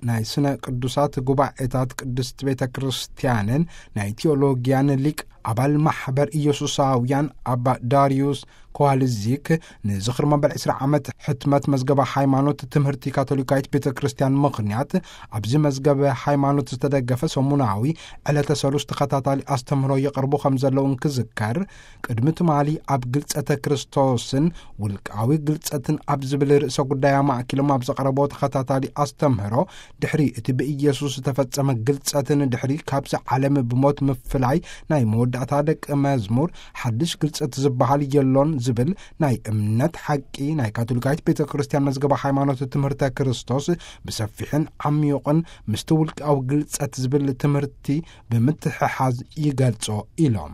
ናይ ስነ ቅዱሳት ጉባኤታት ቅድስት ቤተ ክርስቲያንን ናይ ቴዎሎጊያን ሊቅ ኣባል ማሕበር ኢየሱሳውያን ኣባ ዳርዩስ ኮዋልዚክ ንዝኽሪ መበል ዕስራ ዓመት ሕትመት መዝገበ ሃይማኖት ትምህርቲ ካቶሊካዊት ቤተ ክርስቲያን ምኽንያት፣ ኣብዚ መዝገበ ሃይማኖት ዝተደገፈ ሰሙናዊ ዕለተ ሰሉስ ተኸታታሊ ኣስተምህሮ የቕርቡ ከም ዘለዉ እንክዝከር፣ ቅድሚ ትማሊ ኣብ ግልጸተ ክርስቶስን ውልቃዊ ግልጸትን ኣብ ዝብል ርእሰ ጉዳይ ኣማእኪሎም ኣብ ዘቕረቦ ተኸታታሊ ኣስተምህሮ፣ ድሕሪ እቲ ብኢየሱስ ዝተፈጸመ ግልጸትን ድሕሪ ካብዚ ዓለም ብሞት ምፍላይ ናይ መወዳእታ ደቂ መዝሙር፣ ሓድሽ ግልጸት ዝበሃል የሎን ዝብል ናይ እምነት ሓቂ ናይ ካቶሊካዊት ቤተ ክርስቲያን መዝገበ ሃይማኖት ትምህርተ ክርስቶስ ብሰፊሕን ዓሚዩቕን ምስቲ ውልቃዊ ግልጸት ዝብል ትምህርቲ ብምትሕሓዝ ይገልጾ ኢሎም።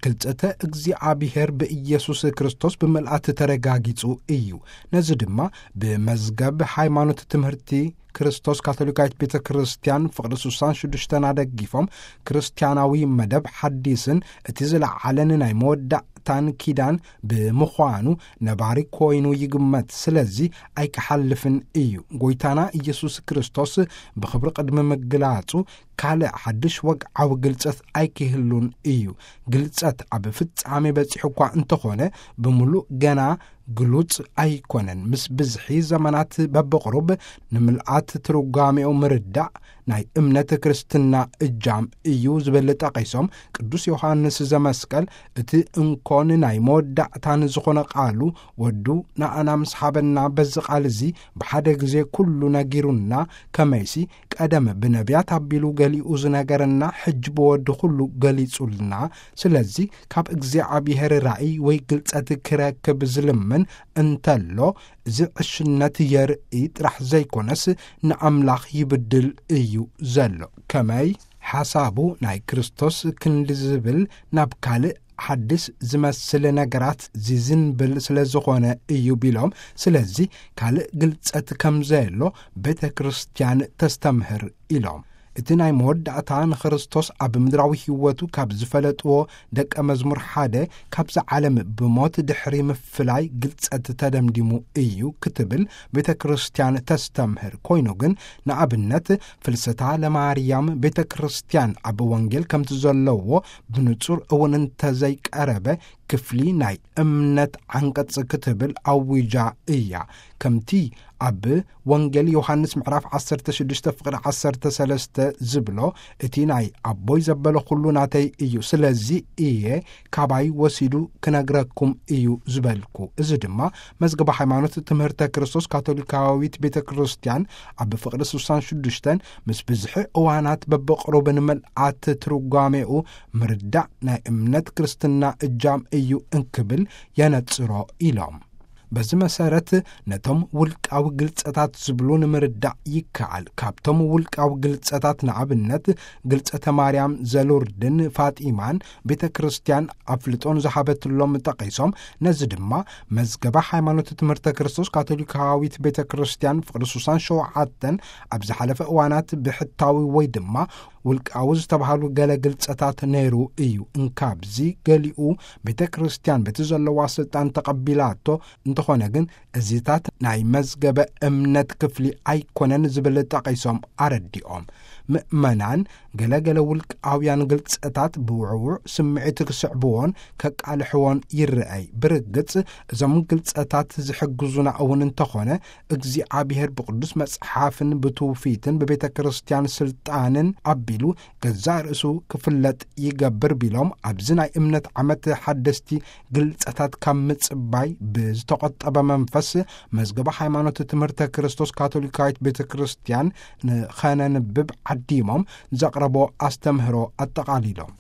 ግልጸተ እግዚኣብሔር ብኢየሱስ ክርስቶስ ብምልኣት ተረጋጊጹ እዩ። ነዚ ድማ ብመዝገብ ሃይማኖት ትምህርቲ ክርስቶስ ካቶሊካዊት ቤተ ክርስቲያን ፍቕዲ ስሳን ሽዱሽተን ኣደጊፎም፣ ክርስቲያናዊ መደብ ሓዲስን እቲ ዝለዓለን ናይ መወዳእታን ኪዳን ብምዃኑ፣ ነባሪ ኮይኑ ይግመት። ስለዚ ኣይክሓልፍን እዩ። ጎይታና ኢየሱስ ክርስቶስ ብኽብሪ ቅድሚ ምግላጹ፣ ካልእ ሓድሽ ወግዓዊ ግልጸት ኣይክህሉን እዩ። ግልጸት ኣብ ፍጻሜ በጺሑ እኳ እንተኾነ፣ ብምሉእ ገና ግሉጽ ኣይኮነን። ምስ ብዝሒ ዘመናት በብቕሩብ ንምልኣት ትርጓሜኡ ምርዳእ ናይ እምነት ክርስትና እጃም እዩ ዝብል ጠቒሶም፣ ቅዱስ ዮሃንስ ዘመስቀል እቲ እንኮን ናይ መወዳእታን ዝኾነ ቃሉ ወዱ ንኣና ምስ ሃበና፣ በዚ ቃል እዚ ብሓደ ግዜ ኩሉ ነጊሩና፣ ከመይሲ ቀደም ብነቢያት ኣቢሉ ገሊኡ ዝነገረና፣ ሕጂ ብወዱ ኩሉ ገሊጹልና። ስለዚ ካብ እግዚኣብሔር ራእይ ወይ ግልጸት ክረክብ ዝልምን እንተሎ፣ እዚ ዕሽነት የርኢ ጥራሕ ዘይኮነስ፣ ንኣምላኽ ይብድል እዩ ዘሎ። ከመይ? ሓሳቡ ናይ ክርስቶስ ክንዲ ዝብል ናብ ካልእ ሓድስ ዝመስል ነገራት ዝዝንብል ስለ ዝኾነ እዩ ቢሎም፣ ስለዚ ካልእ ግልጸት ከም ዘየሎ ቤተ ክርስቲያን ተስተምህር ኢሎም። እቲ ናይ መወዳእታ ንክርስቶስ ኣብ ምድራዊ ህይወቱ ካብ ዝፈለጥዎ ደቀ መዝሙር ሓደ፣ ካብዚ ዓለም ብሞት ድሕሪ ምፍላይ ግልጸት ተደምዲሙ እዩ ክትብል ቤተ ክርስቲያን ተስተምህር። ኮይኑ ግን፣ ንኣብነት፣ ፍልሰታ ለማርያም ቤተ ክርስቲያን ኣብ ወንጌል ከምቲ ዘለዎ ብንጹር እውን እንተዘይቀረበ፣ ክፍሊ ናይ እምነት ዓንቀጽ ክትብል ኣዊጃ እያ። ከምቲ ኣብ ወንጌል ዮሃንስ ምዕራፍ ዓሰርተ ሽዱሽተ ፍቕዲ ዓሰርተ ሰለስተ ዝብሎ፣ እቲ ናይ ኣቦይ ዘበለ ኩሉ ናተይ እዩ፣ ስለዚ እየ ካባይ ወሲዱ ክነግረኩም እዩ ዝበልኩ። እዚ ድማ መዝገበ ሃይማኖት ትምህርተ ክርስቶስ ካቶሊካዊት ቤተ ክርስቲያን ኣብ ፍቕዲ ስሳን ሽዱሽተን ምስ ብዝሒ እዋናት በብቕሩብ ንምልኣት ትርጓሜኡ ምርዳእ ናይ እምነት ክርስትና እጃም እዩ እንክብል የነጽሮ ኢሎም። በዚ መሰረት ነቶም ውልቃዊ ግልጸታት ዝብሉ ንምርዳእ ይከኣል። ካብቶም ውልቃዊ ግልጸታት ንኣብነት ግልጸተ ማርያም ዘሉርድን ፋጢማን ቤተ ክርስቲያን ኣፍልጦን ዝሃበትሎም ጠቒሶም፣ ነዚ ድማ መዝገበ ሃይማኖት ትምህርተ ክርስቶስ ካቶሊካዊት ቤተ ክርስቲያን ፍቕዲ ስሳን ሸውዓተን ኣብ ዝሓለፈ እዋናት ብሕታዊ ወይ ድማ ውልቃዊ ዝተባሃሉ ገለ ግልጸታት ነይሩ እዩ። እንካብዚ ገሊኡ ቤተ ክርስቲያን በቲ ዘለዋ ስልጣን ተቐቢላቶ እንተኾነ ግን እዚታት ናይ መዝገበ እምነት ክፍሊ ኣይኮነን ዝብል ጠቒሶም ኣረዲኦም። ምእመናን ገለገለ ውልቃውያን ግልጸታት ብውዕውዕ ስምዒት ክስዕብዎን ከቃልሕዎን ይረኣይ። ብርግጽ እዞም ግልጸታት ዝሕግዙና እውን እንተኾነ እግዚኣብሔር ብቅዱስ መጽሓፍን ብትውፊትን ብቤተ ክርስቲያን ስልጣንን ኣቢሉ ገዛእ ርእሱ ክፍለጥ ይገብር ቢሎም፣ ኣብዚ ናይ እምነት ዓመት ሓደስቲ ግልጸታት ካብ ምጽባይ ብዝተቖጠበ መንፈስ መዝገበ ሃይማኖት ትምህርተ ክርስቶስ ካቶሊካዊት ቤተ ክርስቲያን ንኸነንብብ ዓዲሞም ዘቕረቦ ኣስተምህሮ ኣጠቓሊሎም።